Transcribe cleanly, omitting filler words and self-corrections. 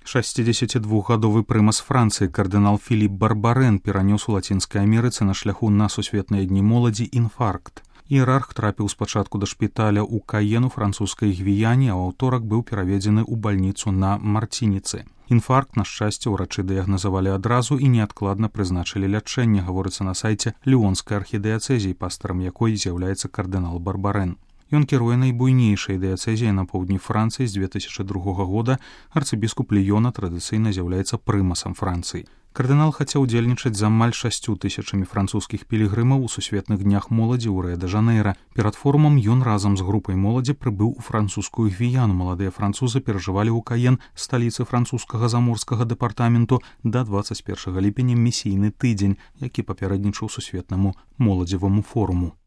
62-гадовы прымас Францыі кардынал Філіп Барбарэн перанёс у Лацінскай Амерыцы на шляху на сусветныя дні моладзі інфаркт. Іерарх трапіў спачатку да шпіталя ў Каену французскай Гвіяне, а ў аўторак быў пераведзены ў бальніцу на Мартініцы. Інфаркт, на шчасце, урачы дыягназавалі адразу і неадкладна прызначылі лячэнне, гаворыцца на сайце Ліонскай архідыяцэзіі, пастарам якой з'яўляецца кардынал Барбарэн. Ён кіруе найбуйнейшай дыяцэзіяй на поўдні Францыі з 2002 года. Арцыбіскуп Ліёна традыцыйна з'яўляецца прымасам Францыі. Кардынал хацеў удзельнічаць з амаль 6000 французскіх пілігрымаў у сусветных днях моладзі ў Рыа-дэ-Жанэйра. Перад форумам ён разам з групай моладзі прыбыў у французскую Гвіяну. Маладыя французы перажывалі ў Каен, сталіцы французскага заморскага дэпартаменту, да 21 ліпеня місійны тыдзень, які папярэднічаў сусветнаму моладзеваму форуму.